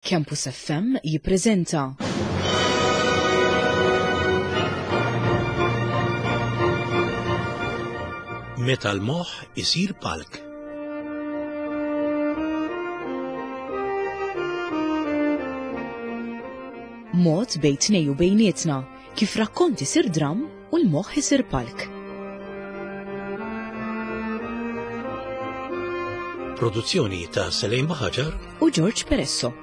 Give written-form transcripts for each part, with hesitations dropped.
Campus FM jippreżenta. Meta l-moħħ isir palk. Mod bejn tnej u bejnietna kif rakkont isir dramm u l-moħħ isir palk. Produzzjoni ta' Selejn Baħaġar u George Peresso.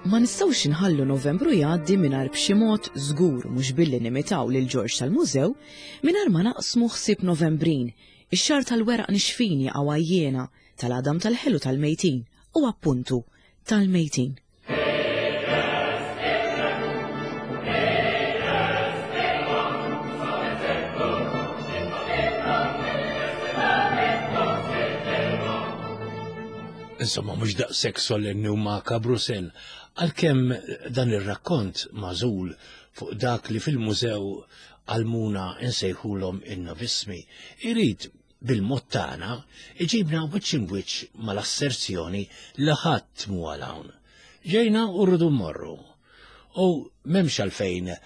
Ma nistgħux inħallu Novembru jgħaddi mingħajr b'xi mod żgur mhux billi nimitaw lil George tal-Mużew mingħajr ma naqsmu ħsieb Novembrin, ix-xahar tal-weraq nixfin jaqgħu għajjiena, tal-għadam tal-ħelu tal-mejtin u appuntu tal-mejtin. Insomma, mhux daqshekk solenni u makabru sen, għalkemm dan ir-rakkont magħżul fuq dak li fil-mużew għalmuna nsejħulhom in-novismi, irid bil-mod tagħna, iġibna wiċċ imbwiċċ mal-asserzjoni li ħadd mhu għal hawn. Ġejna u rridu mmorru. U m'hemmx għalfejn eh,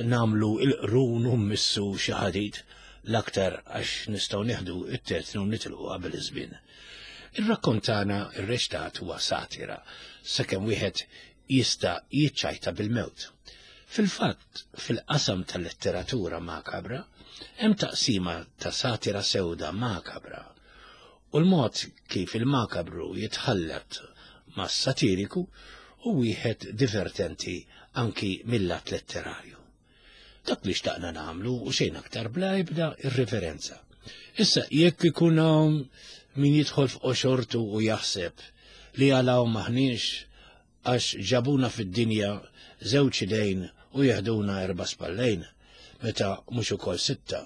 nagħmlu il-qrun u mmissu xi ħadid l-aktar għax nistgħu nieħdu it-tetnu nitilqu qabel iż-żmien. Ir-rakkont tagħna rreċtat huwa satira sakemm wieħed jista' jiċċajta bil-mewt. Fil-fatt, fil-qasam tal-letteratura makabra, hemm taqsima ta' satira sewda makabra u l-mod kif il-makabru jitħallat mas-satiriku hu wieħed divertenti anki mill-lat letterarju. Dak li xtaqna nagħmlu u xejn aktar bla ebda irriverenza. Issa jekk ikun hawn min jidħol f'qoxortu u jaħseb li għal hawn m'aħniex għax ġabuna fid-dinja żewġ idejn u jeħduna erba' spallejn, meta mhux ukoll sitta,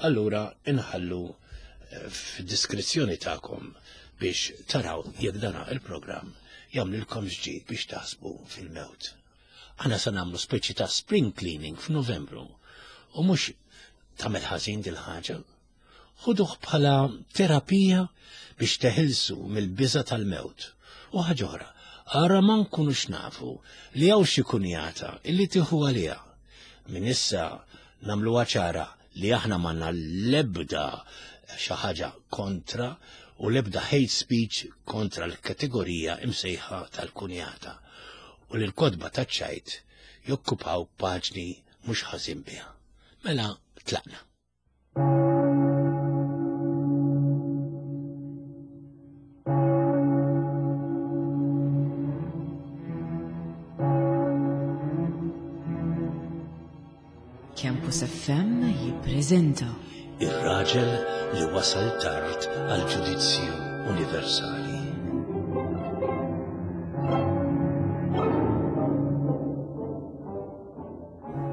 allura inħallu eh, f'diskrizzjoni tagħkom biex taraw jekk dana il-programm jagħmlilkom ġdid biex taħsbu fil-mewt. Aħna se nagħmlu speċi ta' spring cleaning f'Novembru u mhux tagħmel ħażin dil-ħaġa. Ħuduh bħala terapija biex teħilsu mill-biża' tal-mewt. U ħaġa oħra, ara ma nkunux nafu li hawn xi kunjata illi tieħu għaliha. Minn issa nagħmluha ċara li aħna m'għandna l-ebda xi ħaġa kontra u l-ebda hate speech kontra l-kategorija imsejħa tal-kunjata u li l-kotba taċ-ċajt jokkupaw paġni mhux ħażin biha. Mela tlaqna. Campus FM jippreżenta Ir-raġel li wasal tard għal ġudizzju universali.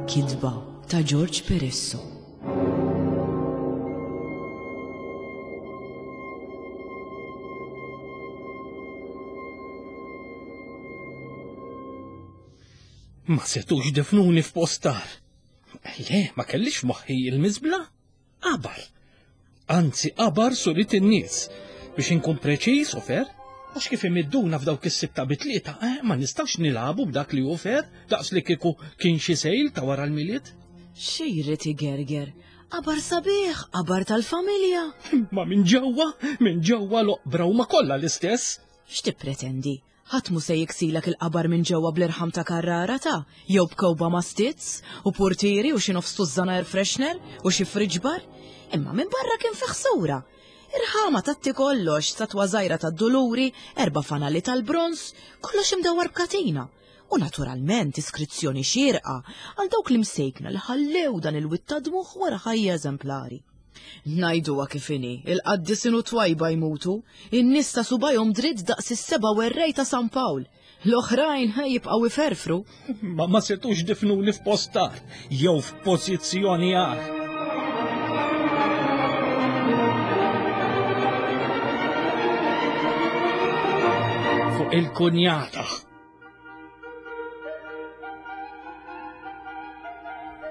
Kitba ta' George Peresso. Ma setux defnuni f'postar. Le, ma kellix moħħi il-miżbla. Qabar. Anzi, qabar surit in-nies. Biex inkun preċiż u fer, għax kif imidduna f'dawk is-sitta bitlieta, eh, ma nistax nilagħbu b'dak li hu fer, daqs li kieku kien xi sejl ta' wara l-milied. Xejrid igerger, qabar sabiħ, qabar tal-familja. Ma minn ġewwa, minn ġewwa l-oqbra huma kollha l-istess. X'tippretendi? Ħadd mhu se jiksilek il-qabar minn ġewwa bl-irħam ta' Carrara ta' jew b'kewba ma' stizz u purtieri u xi nofs tużżana air freshener u xi fridge bar. Imma minn barra kien fih sura. Irħama tatti kollox, statwa żgħira tad-Duluri, erba' fanali tal-bronż, kollox imdawwar b'katina. U naturalment iskrizzjoni xierqa għal dawk l-imsejkna li ħallew dan il-wied ta' dmugħ wara ħajja eżemplari. Ngħiduha kif inhi, il-qaddisin u t-twajba jmutu, in-nies ta' subgħajhom dritt daqs is-seba' werrej ta' San Pawl. L-oħrajn jibqgħu iferfru. Ma ma setux difnuni f'post agħar jew f'pożizzjoni agħar. Fuq il-kunjata.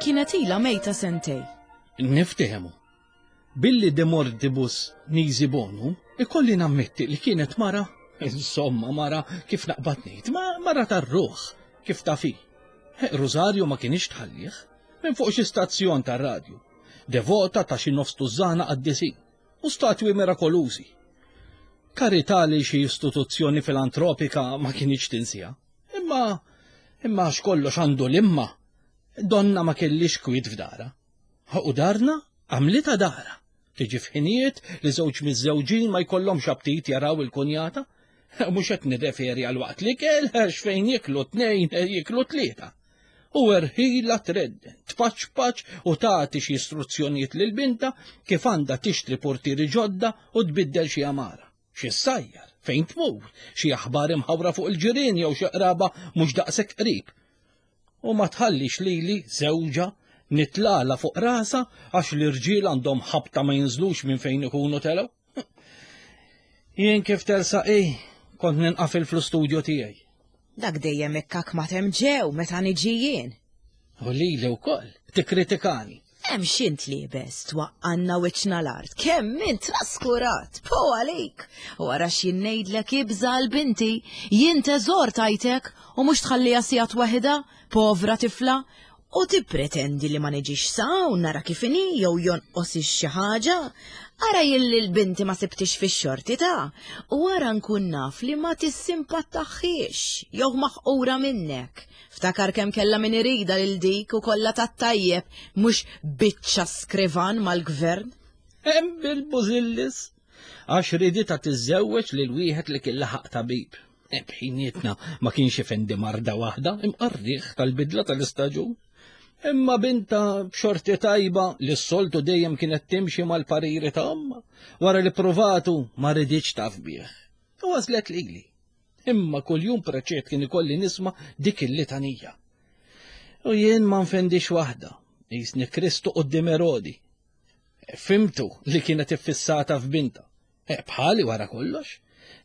Kienet ilha mejta sentej. Niftehmu. Billi de mortibus nisi bonum, ikolli nammetti li kienet mara, insomma mara kif naqbad ngħid, ma mara tar-ruħ, kif taf hi. Rużarju ma kienx tħallih, minn fuq xi stazzjon tar-radju, devota ta' xi nofs tużżana qaddisin u statwi mirakolużi. Karità li xi istituzzjoni filantropika ma kienx tinsija. Imma imma għax kollox għandu l-imma, donna ma kellix kwiet f'dara. U darna għamlitha dara. Tiġi f'ħinijiet li żewġ miżżewġin ma jkollhomx aptit jaraw il-kunjata. Mhux qed nirreferi għal waqt l-ikel għax fejn jiklu tnejn jiklu tlieta. U erħila tredden, tpaċpaċ u tagħti xi istruzzjonijiet lil binta kif għandha tixtri portieri ġodda u tbiddel xi għamara. Xi ssajjar, fejn tmur, xi aħbar imħawra fuq il-ġirien jew xi qraba mhux daqshekk qrib. U ma tħallix lili, żewġha, nitlagħla fuq rasha għax l-irġiel għandhom ħabta ma jinżlux minn fejn ikunu telgħu. Jien kif tersaq hi, kont ninqafil fl-istudju tiegħi. Dak dejjem ikkak ma temm ġew meta niġi jien. U lili wkoll, tikkritikani. Hemm x'int liebes, twaqqanna wiċċna l-art, kemm int traskurat, po għalik. U ara x'jien ngħidlek ibża' għal binti, jien teżor tajtek u mhux tħalliha sigħat waħidha, povra tifla, u tippretendi li ma niġix s'hawn nara kif inhi jew jonqosix xi ħaġa. Ara jien lil binti ma sibtix fix-xorti ta' u ara nkun naf li ma tissimpattaħħiex jew maħqura minnek. Ftakar kemm kellha min iridha lil dik u kollha tat-tajjeb, mhux biċċa skrivan mal-gvern. Hemm bil-bużillis għax riditha tiżżewweġ lil wieħed li kien laħaq tabib. E, bħinietna ma kienx ifendi marda waħda, imqarriħ tal-bidla tal-istaġun. Imma binta b'xorti tajba li s-soltu dejjem kienet timxi mal-pariri ta' omma, wara li provatu ma riditx taf bih. U għażlet lili. Imma kuljum preċett kien ikolli nisma' dik il-litanija. U jien ma nfendix waħda, jisni Kristu qudiem Erodi. Fimtu li kienet iffissata f'binta. E, bħali wara kollox.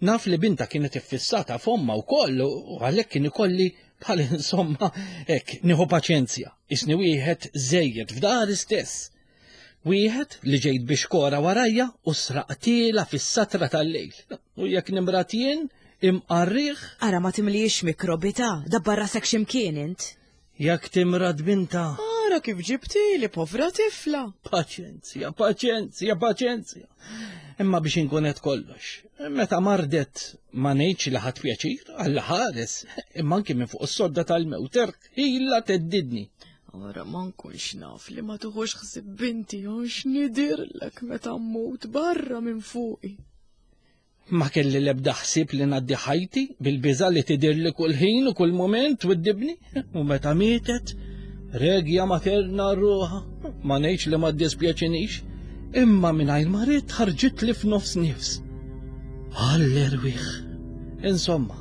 Naf li binta kienet iffissata f'omma wkoll u għalhekk kien ikolli bħal insomma hekk nieħu paċenzja. Isni wieħed żejjed f'dari stess. Wieħed li ġejt biex kora warajja u sraqtiela fis-satra tal-lejl. U jekk nimrat jien, imqarriħ. Ara ma timliex mikrobi ta' dabbar rasek x'imkien int. Jekk timrad binta. Ara kif ġibtili povra tifla. Paċenzja, paċenzja, paċenzja. Imma biex inkun qed kollox. Meta mardet ma ngħidx li ħadd pjaċir, Alla ħares, imma anki minn fuq is-sodda tal-mewt ilha teddidni. Ora ma nkunx naf li ma tuħux ħsib binti għax nidirlek meta mmut barra minn fuqi. Ma kelli l-ebda ħsieb li ngħaddi ħajti bil-biża' li tidirli kull ħin u kull mument twiddibni. U meta mietet, regja materna ruħha, ma ngħidx li ma ddispjaċinix, imma mingħajr ma ridt ħarġitli f'nofs nifs. Għall-erwieħ. Insomma,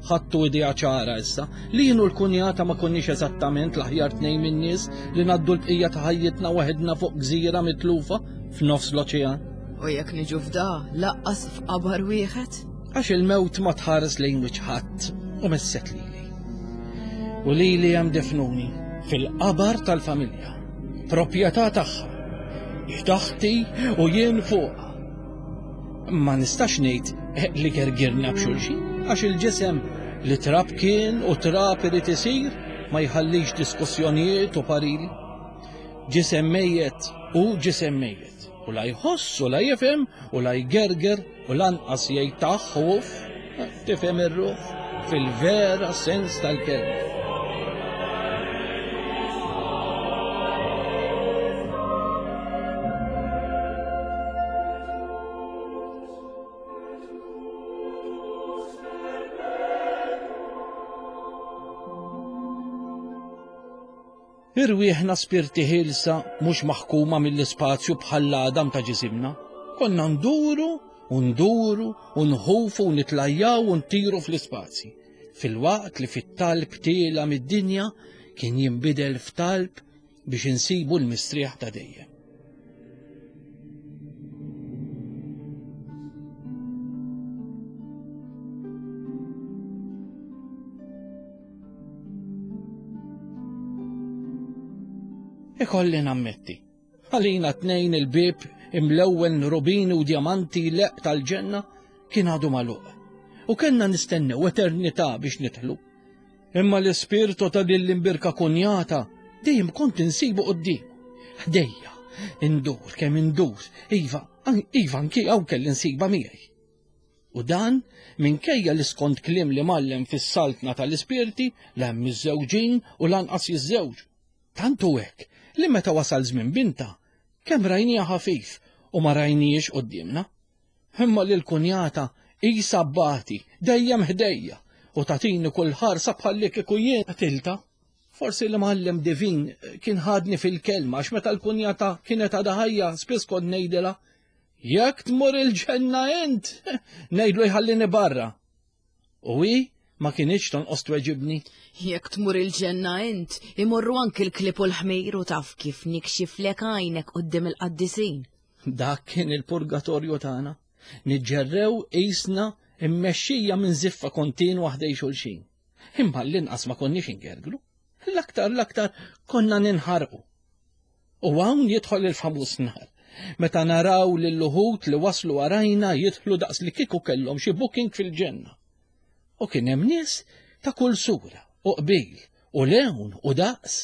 Ħadtu idea ċara issa li jien u l-kunjata ma konniex eżattament l-aħjar tnejn min-nies li ngħaddu l-bqija ta' ħajjitna waħedna fuq gżira mitlufa f'nofs l-oċean. U jekk niġu f'da, laqqas f'qabar wieħed? Għax il-mewt ma tħares lejn wiċċ ħadd u messet lili. U lili hemm defnuni fil-qabar tal-familja, proprjetà tagħha, hi taħti u jien fuqha. Ma nistax ngħid li gergirna b'xulxin, għax il-ġisem li trab kien u trab irid isir ma jħallix diskussjonijiet u pariri. Ġisem mejjet u ġisem mejjet, u la jħoss u la jifhem u la jgerger u lanqas jgħid taħ u uff, tifhem ir-ruħ fil-vera sens tal-kelma. Irwieħna spirti ħielsa mhux maħkuma mill-ispazju bħall-għadam ta' ġisimna. Konna nduru u nduru u nħufu u nitlajjaw u ntiru fl-ispazji. Filwaqt li fit-talb tiela mid-dinja kien jinbidel f'talb biex insibu l-mistrieħ ta' dejjem. Ikolli nammetti, għalina tnejn il-bib imlewwen rubini u djamanti leq tal-ġenna kien għadu magħluq. U kellna nistennew eternità biex nidħlu. Imma l-ispirtu ta' din l-imbirka kunjata dejjem kont insibu quddiem. Ħdejja, indur kemm indur, iva, iva anki hawn kelli nsiba miegħi. U dan minkejja li skont kliem li mallem fis-saltna tal-ispirti la hemm miżżewġin u lanqas jiżżewġu. Tant hu hekk li meta wasal żmien binta, kemm rajniha ħafif u ma rajnihiex quddiemna. Imma lil kunjata qisha bati dejjem ħdejja u tagħtini kull ħarsa bħalli kieku jien qtiltha. Forsi l-imgħallem divin kien ħadni fil-kelma għax meta l-kunjata kienet għadha ħajja spiss kont ngħidilha jekk tmur il-ġenna int, ngħidlu jħallini barra. U hi ma kinitx tonqos tweġibni. Jekk tmur il-ġenna int, imorru anki l-klieb u l-ħmir u taf kif nikxiflek għajnek quddiem il-qaddisin. Dak kien il-purgatorju tagħna. Niġġerrew qisna mmexxija minn żiffa kontinwa ħdej xulxin. Imma l-inqas ma konniex ingerglu. L-aktar l-aktar konna ninħarqu. U hawn jidħol il-famuż nar. Meta naraw lil uħud li waslu warajna jidħlu daqs li kieku kellhom xi booking fil-ġenna. U kien hemm nies ta' kull sura u qbil u lewn u daqs.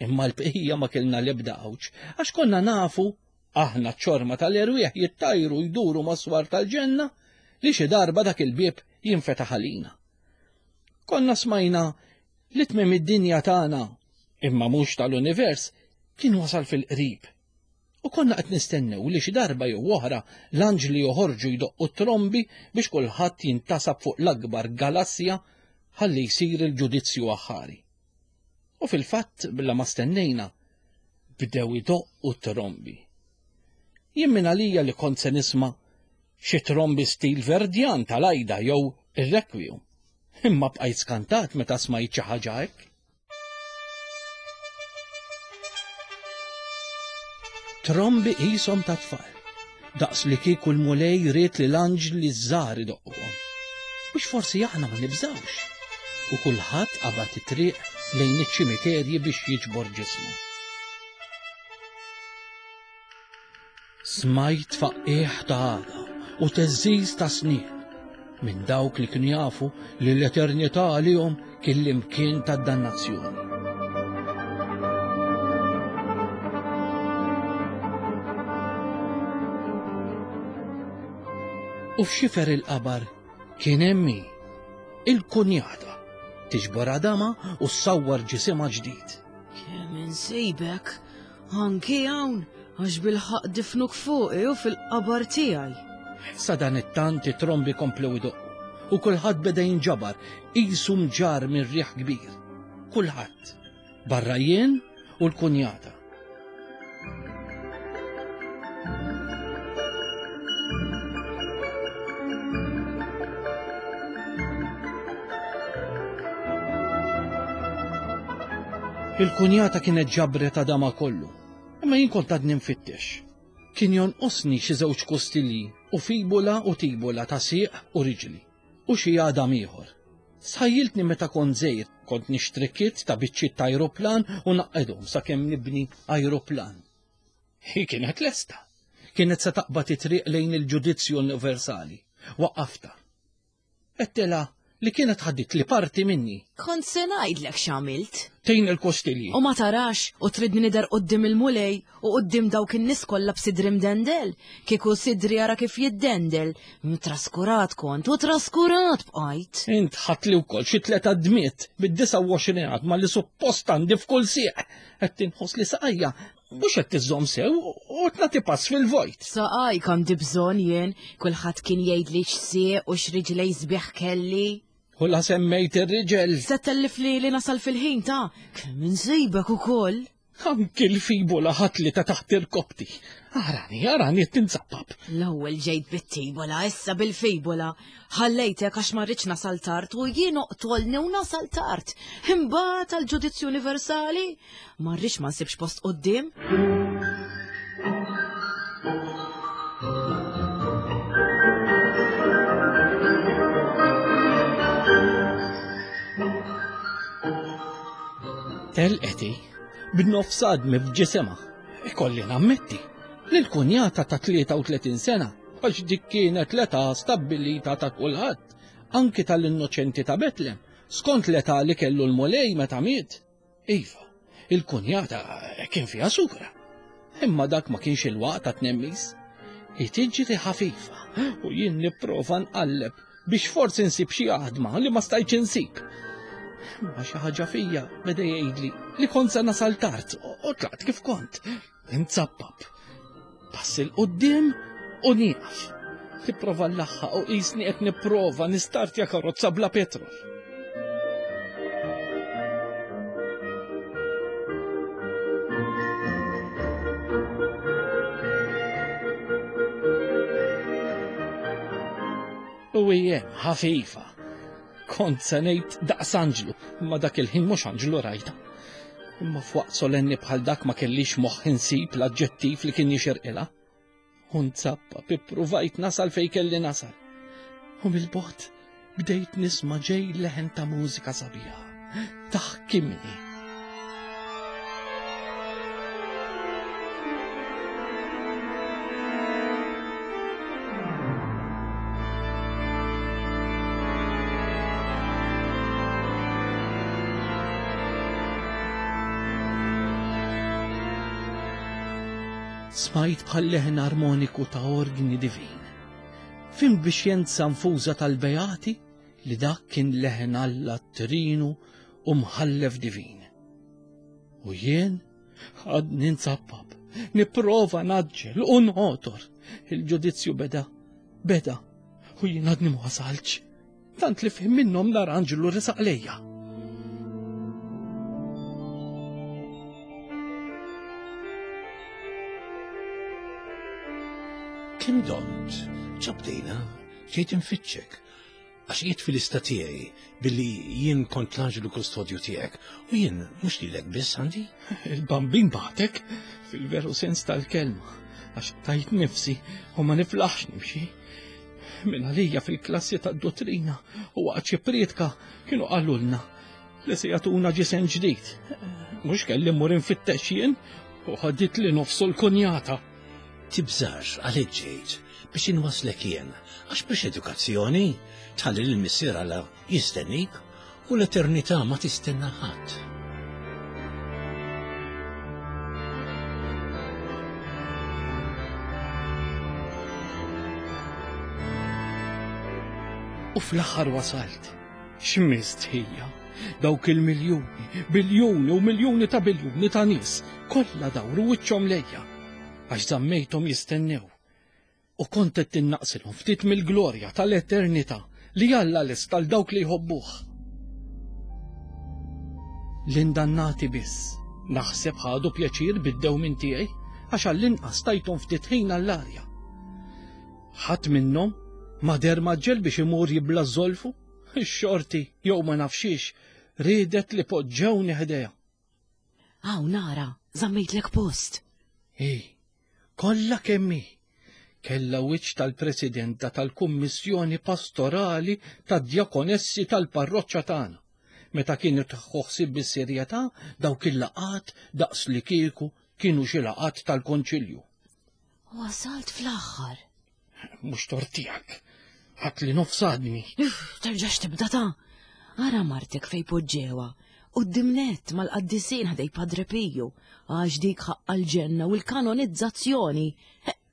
Imma l-bqija ma kellna l-ebda għawġ, għax konna nafu, aħna ċ-ċorma tal-erwieħ jittajru jduru mas-swar tal-ġenna, li xi darba dak il-bieb jinfetaħ għalina. Konna smajna li tmiem id-dinja tagħna, imma mhux tal-univers, kien wasal fil-qrib. U konna qed nistennew li xi darba jew oħra l-anġli joħorġu jdoqqu t-trombi biex kulħadd jintasab fuq l-akbar galassja ħalli jsir il-ġudizzju aħħari. U fil-fatt, bla ma stennejna, bdew idoqqu t-trombi. Jien minn għalija li kont se nisma' xi trombi stil Verdjan tal-Aida jew ir-Requiem. Imma bqajt skantat meta smajt xi ħaġa hekk. Trombi qishom ta' tfal, daqs li kieku l-Mulej ried li l-anġli ż-żgħar idoqquhom. Biex forsi aħna ma nibżgħux. U kulħadd qabad it-triq lejn iċ-ċimiterji biex jiġbor ġismu. Smajt tfaqqigħ ta' għadam u theżżiż ta' snien minn dawk li kienu jafu li l-eternità għalihom kien l-imkien tad-dannazzjoni. U f'xifer il-qabar kien hemm hi, il-kunjata, tiġbor għadamha u ssawwar ġisimha ġdid. Kemm insibek, Anki hawn, għax bilħaqq difnuk fuqi u fil-qabar tiegħi. Sadanittant it-trombi komplew idoqqu u kulħadd beda jinġabar qisu mġarr minn riħ kbir. Kulħadd, barra jien u l-kunjata. Il-kunjata kienet ġabret għadama kollu, imma jien kont għadni nfittex. Kien jonqosni xi żewġ kustilji u fibula u tibula ta' sieq u riġli, u xi għadam ieħor. Sħajjiltni meta kont żgħir, kont nixtri kit ta' biċċiet ta' ajruplan u naqgħedhom sakemm nibni ajruplan. Hi kienet lesta. Kienet se taqbad it-triq lejn il-ġudizzju universali. Waqqaftha. Għedtilha li kienet ħaditli parti minni. Kont se ngħidlek x'għamilt. Tejn il-kostilji. U ma tarax u tridni nidher quddiem il-Mulej u quddiem dawk in-nies kollha b'sidri mdendel? Kieku sidri ara kif jiddendel. Traskurat kont u traskurat bqajt. Int ħadtli wkoll xi tliet għadmiet bid-29 għadma li suppost għandi f'kull sieq. Qed inħoss li saqajja Mhux qed tiżżomm sew u qed nagħti pass fil-vojt. Saqajk għandi bżonn jien, kulħadd kien jgħidli x'sieq u x'riġlej sbieħ kelli. U la semmejt ir-riġel. Se tellifli li nasal fil-ħin ta' kemm insibek ukoll. Anki l-fibula ħatli ta' taħt irkopti. Arani, arani qed tinzappap. L-ewwel ġejt bit-tibula, issa bil-fibula. Ħallejtek għax ma rridx nasal tard u jien oqtolni u nasal tard. Imbagħad għall-ġudizzju universali ma rridx ma nsibx post quddiem. Telqeti b'nofs għadmi f'ġisimha. Ikolli nammetti. Lil kunjata ta' 33 sena, għax dik kienet l-età stabbilita ta' kulħadd, anki tal-innoċenti ta' Betlem, skont l-età li kellu l-Mulej meta miet. Iva, il-kunjata kien fiha sura. Imma dak ma kienx il-waqt ta' tnemmis. Hi tiġri ħafifa u jien nipprova nqalleb biex forsi nsib xi għadma li ma stajtx insib. Ma xi ħaġa fija beda jgħidli li kont se nasal tard u tlaqt kif kont. Inzappap. Pass il quddiem u nieqaf. Tipprova l-laħħa u qisni qed nipprova nistartja karozza bla petrol. U hija ħafifa. Kont se ngħid daqs anġlu, imma dak il-ħin mhux anġlu rajta. Imma f'waqt solenni bħal dak ma kellix moħħ insib l-aġġettiv li kien jixirqilha. U nzappa ippruvajt nasal fejn kelli nasal. U mill-bogħod bdejt nisma' ġej leħen ta' mużika sabiħa. Taħkimni. Smajt bħal leħen armoniku ta' orgni divin. Fim bixjenza nfuża tal-beati li dak kien leħen Alla trinu u mħallef divin. U jien għadni nzappab, nipprova naġġel u nħotor. Il-ġudizzju beda, beda, u jien għadni ma wasalx. Tant li fim minnhom nar anġlu resaq lejja. Kemm domt, ċabdejna, ġejt infittxek, Għax qiegħed fil-lista tiegħi billi jien kont l-anġlu kustodju tiegħek u jien mhux lilek biss għandi. Il-bambin bagħtek fil-veru sens tal-kelma għax tajt nifsi u ma niflaħx nimxi. Min għalija fil-klassi tad-dottrina u waqt xi prietka kienu qalulna li se jagħtuna ġisem ġdid. Mhux kelli mmur infittex jien u ħadit li nofsu l-kunjata. Tibżax għalhekk ġejt biex inwasslek jien, għax mhux edukazzjoni tħalli lil missier Alla jistennik u l-eternità ma tistenna ħadd. U fl-aħħar wasalt. X'mistħija! Dawk il-miljuni, biljuni u miljuni ta' biljuni ta' nies kollha dawru wiċċhom lejja għax żammejthom jistennew. U kont qed tinnaqsilhom ftit mill-glorja tal-eternità li Alla lest għal dawk li jħobbuh. L-indannati biss naħseb ħadu pjaċir bid-dewmien tiegħi għax għall-inqas tajthom ftit ħin għall-arja. Ħadd minnhom ma deher mgħaġġel biex imur jibla' ż-żolfu. Ix-xorti, jew ma nafx xiex, riedet li poġġewni ħdejha. Hawn ara, żammejtlek post. Hi, kollha kemm hi, kellha wiċċ tal-presidenta tal-Kummissjoni Pastorali tad-Djakonessi tal-parroċċa tagħna, meta kienet tieħu ħsieb bis-serjetà dawk il-laqgħat daqslikieku kienu xi laqgħat tal-Konċilju. Wasalt fl-aħħar. Mhux tort tiegħek. Ħadd li nofsadni. Terġax tibda ta' Ara martek fej poġġewa. Qudiem nett mal-qaddisin ħdej Padre Piju, għax dik ħaqqa l-ġenna u l-kanonizzazzjoni.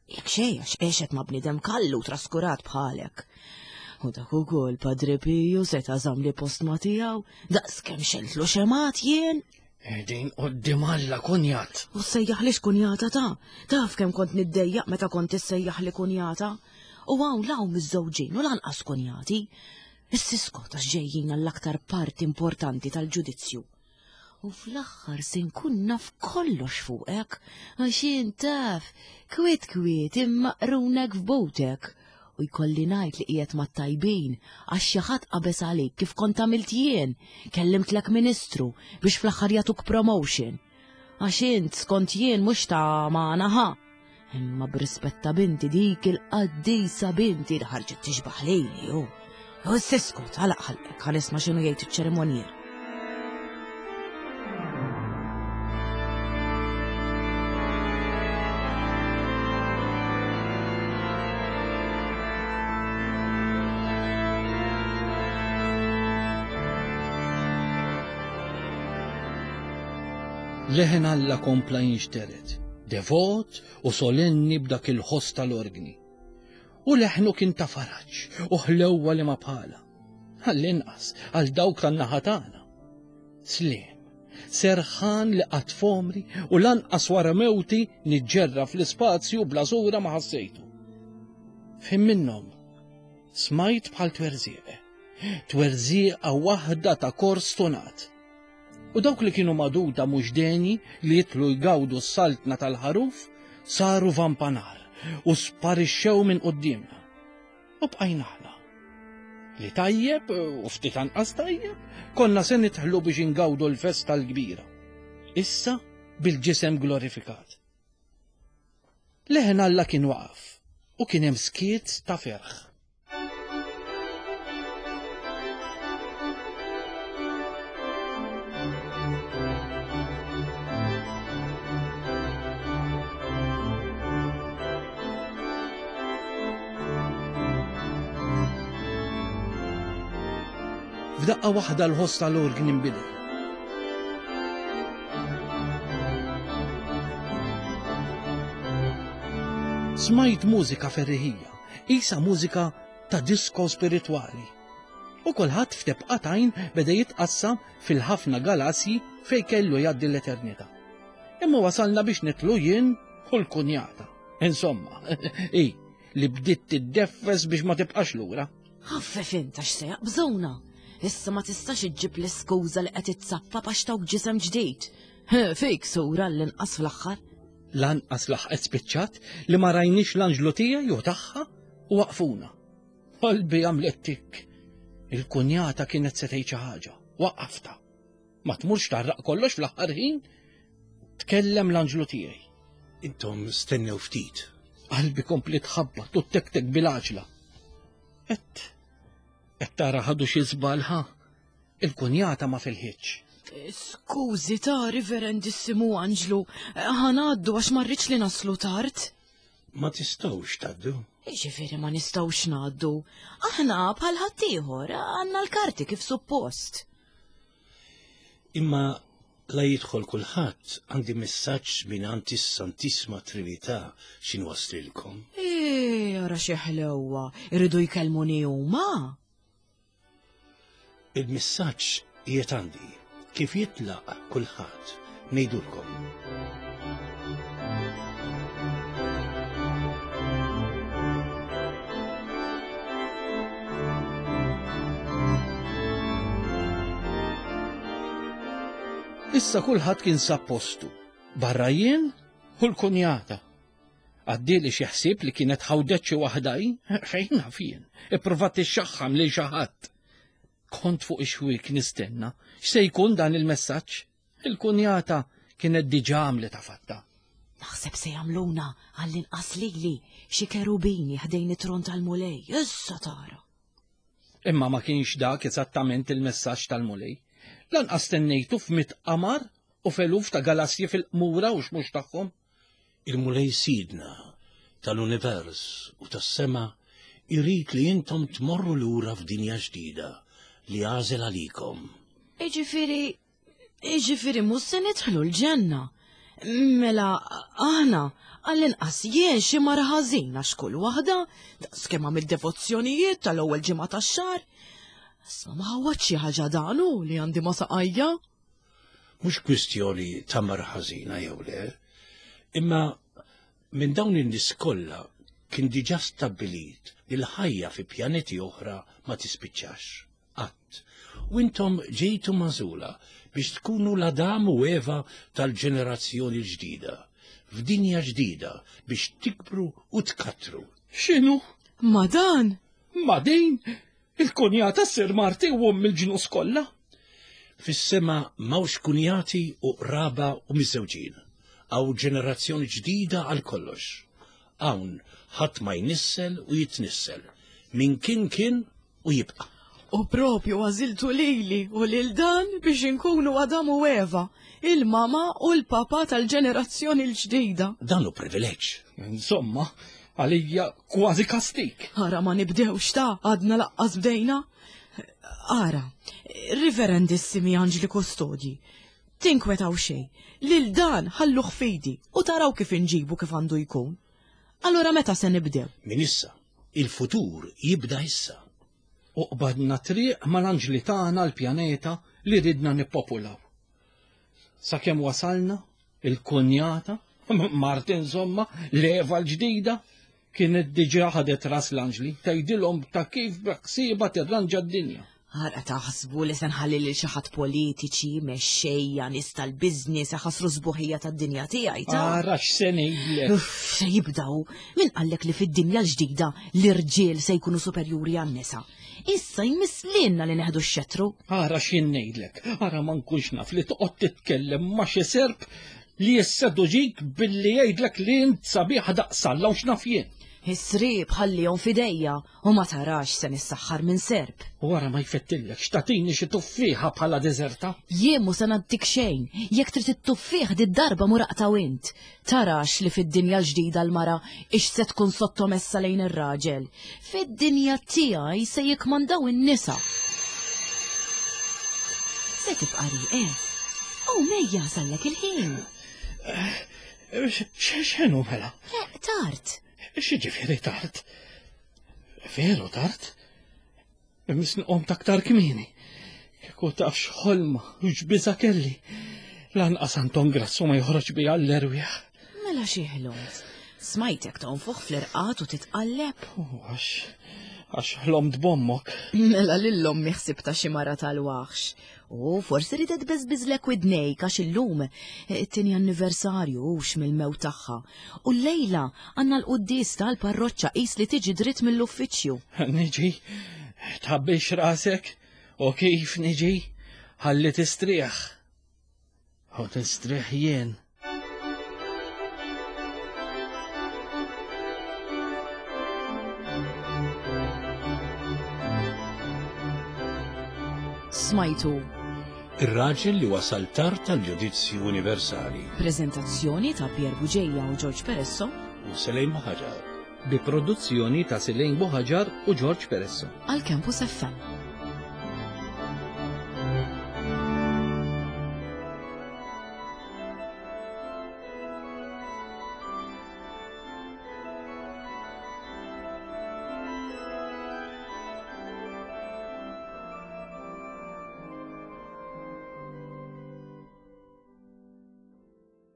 Jekk xejn għax għexet ma' bniedem kallu traskurat bħalek. U dak ukoll Padre Piju seta' żamm li post ma' tiegħu daqs kemm xeltlu xemat jien. Din qoddim Alla kunjat. U sejjaħlix kunjata ta' taf kemm kont niddejjaq meta kont issejjaħli kunjata. U hawn law miżżewġin u lanqas kunjati. Is-siskot għax ġejjin għall-aktar parti importanti tal-ġudizzju. U fl-aħħar se nkun naf kollox fuqek, għax int taf, kwiet kwiet imma qrunek f'butek. U jkolli ngħid li qiegħed mat-tajbin għax xi ħadd qabeż għalik kif kont għamilt jien, kellimtlek ministru biex fl-aħħar jagħtuk promotion. Għax int skont jien mhux ta' magħna ħa. Imma b'rispett ta' binti dik il-qaddisa binti li ħarġet tixbaħ lili hu. U s-siskot għalaq ħalqek ħa nisma' x'inhu jgħid iċ-ċerimonjier. Leħen Alla kompla jinxtered, devot u solenni b'dak il-ħoss tal-orgni. U leħnu kien ta' faraġ u ħlewwa li ma bħala. Għall-inqas għal dawk tan-naħa tagħna. Sliem, serħan li qatt f'għomri u lanqas wara mewti niġġerra fl-ispazju bla sura ma ħassejtu. Fim minnhom smajt bħal twerżieq. Twerżieqa waħda ta' kors tonat. U dawk li kienu maduda mhux deni li jitlu jgawdu s-saltna tal-ħaruf saru vampanar u sparixxew minn quddiemna. U bqajna aħna. Li tajjeb u ftit anqas tajjeb, konna se nidħlu biex ingawdu l-festa l-kbira. Issa bil-ġisem glorifikat. Leħen Alla kien waqaf u kien hemm skiet ta' ferħ. F'daqqa waħda l-ħoss tal-orgni nbidel. Smajt mużika ferriħija, isa mużika ta' disko spiritwali. U kulħadd f'tebqa tajn beda jitqassam fil-ħafna galasji fej kellu jgħaddi l-eternità. Imma wasalna biex nitlu jien u l-kunjata. Insomma, i, li bdiet tiddeffes biex ma tibqax lura. Ħaffef int għax se jaqbżuna. Issa ma tistax iġġib l-iskuża li qed itzappa għax tawk ġisem ġdid. Fik sura l-inqas fl-aħħar. Lanqas laħqet spiċċat li ma rajniex l-anġlu tiegħi u tagħha u waqfuna. Qalbi għamlet tik. Il-kunjata kienet se tgħid xi ħaġa. Waqqafta. Ma tmurx tarraq kollox fl-aħħar ħin? Tkellem l-anġlu tiegħi. Intom stennew ftit. Qalbi kompli tħabbat u tektek bil-għaġla. Et, et tara ħadu xi żball ħa. Il-kunjata ma filħitx. Skużi ta' riverendissimu Anġlu, ħanaddu għax ma rridx li naslu tard. Ma tistgħux tgħaddu. Jiġifieri ma nistgħux ngħaddu. Aħna bħal ħaddieħor għandna l-karti kif suppost. Imma la jidħol kulħadd għandi messaġġ mingħand is-Santissima Trinità x'inwasslilkom. Ej, ara xi ħlewwa, iridu jkellmuni huma. Il-messaġġ qiegħed għandi. Kif jitlaq kulħadd ngħidulkom. Issa kulħadd kien sab postu, barra jien u l-kunjata. Għaddieli xi ħsieb li kienet ħawdet xi waħda hi, fejn naf jien, ipprovat tixxaħħam lil xi ħadd. Kont fuq ix-xwiek nistenna x'se jkun dan il-messaġġ. Il-kunjata kienet diġà għamlet fatta. Naħseb se jagħmluna għall-inqas lili xi kerubini ħdejn it-tron tal-Mulej, issa tara. Imma ma kienx dak eżattament il-messaġġ tal-Mulej. Lanqas stennejtu f'mit qamar u f'eluf ta' galassji fil-qmura u x'mhux tagħhom. Il-Mulej Sidna tal-univers u tas-sema jrid li intom tmorru lura f'dinja ġdida li għażel għalikom. Jiġifieri Jiġifieri mhux se nidħlu l-ġenna. Mela aħna għall-inqas jien xi mara ħażin għax kull waħda daqskemm għamilt devozzjonijiet tal-ewwel ġimgħa tax-xahar. Isma' ma ħawwadx xi ħaġa dan hu li għandi ma' saqajja. Mhux kwistjoni ta' mara ħażina jew le, imma minn dawn in-nies kollha kien diġà stabbilit li l-ħajja fi pjaneti oħra ma tispiċċax. Qatt. U intom ġejtu magħżula biex tkunu l-Adam u Eva tal-ġenerazzjoni l-ġdida, f'dinja ġdida biex tikbru u tkattru. X'inhu? Ma dan? Ma din? Il-kunjata ssir marti u omm il-ġnus kollha? Fis-sema m'hawnx kunjati u qraba u miżżewġin. Hawn ġenerazzjoni ġdida għal kollox. Hawn ħadd ma jnissel u jitnissel. Min kien kien u jibqa'. U propju għażiltu lili u lil dan biex inkunu Adam u Eva, il-mama u l-papa tal-ġenerazzjoni l-ġdida. Dan hu privileġġ. Insomma, għalija kważi kastik. Ara ma nibdewx ta' għadna laqqas bdejna. Ara, riverendissimi anġli kustodji. Tinkwetaw xejn, lil dan ħalluh f'idi u taraw kif inġibu kif għandu jkun. Allura meta se nibdew? Min issa. Il-futur jibda issa. U qbadna triq mal-anġli tagħna l-pjaneta li ridna nippopulaw. Sakemm wasalna, il-kunjata, Marti insomma, l-Eva l-ġdida, kienet diġà ħadet ras l-anġli, tgħidilhom ta' kif beħsiebha tirranġa d-dinja. Ara taħsbu li se nħalli lil xi ħadd politiċi, mexxejja, nies tal-business iħassru s-sbuħija tad-dinja tiegħi ta'. Ara x'se ngħidlek. Uff, se jibdaw. Min qallek li fid-dinja l-ġdida l-irġiel se jkunu superjuri għan-nisa? Issa jmiss lilna li neħdu x-xettru. Ara x'jien ngħidlek, ara ma nkunx naf li toqgħod titkellem ma' xi serp li jisseduġik billi jgħidlek li int sabiħa daqs Alla u x'naf jien. Is-sriep ħallihom f'idejja u ma tarax se nissaħħar minn serp. U ara ma jfettillekx tagħtini xi tuffieħa bħala deżerta. Jien mhu se nagħtik xejn, jekk trid it-tuffieħ did-darba mur aqtgħu int. Tarax li fid-dinja l-ġdida l-mara ix se tkun sottomessa lejn ir-raġel. Fid-dinja tiegħi se jikkmandaw in-nisa. Se tibqa' rieqed? Oh, mejja sallek il-ħin. X'inhu mela? Eh, tard. X'jiġifieri tard? Veru tard? Imis nqom taktar kmieni. Kieku taf x'ħolma u x'biża kelli. Lanqas Anton Grasso ma joħroġ bija l-erwieħ. Mela xi ħlomt? Smajtek tonfoħ fl-irqad u titqalleb? Għax għax ħlomt b'ommok. Mela lil ommi ħsibta xi mara tal-waħx. U forsi ridet beżbiżlek widnejk għax illum it-tieni anniversarju hux mill-mewt tagħha. U llejla għandna l-quddies tal-parroċċa qis li tiġi dritt mill-uffiċċju. Niġi, tħabbix rasek, u kif niġi, ħalli tistrieħ. U nistrieħ jien. Smajtu. Ir-raġel li wasal tard tal-ġudizzju universali. Preżentazzjoni ta' Pier Bugeja u George Peresso. U Selejn Buħaġar. Bi produzzjoni ta' Selejn Buħaġar u George Peresso. Għal Campus FM.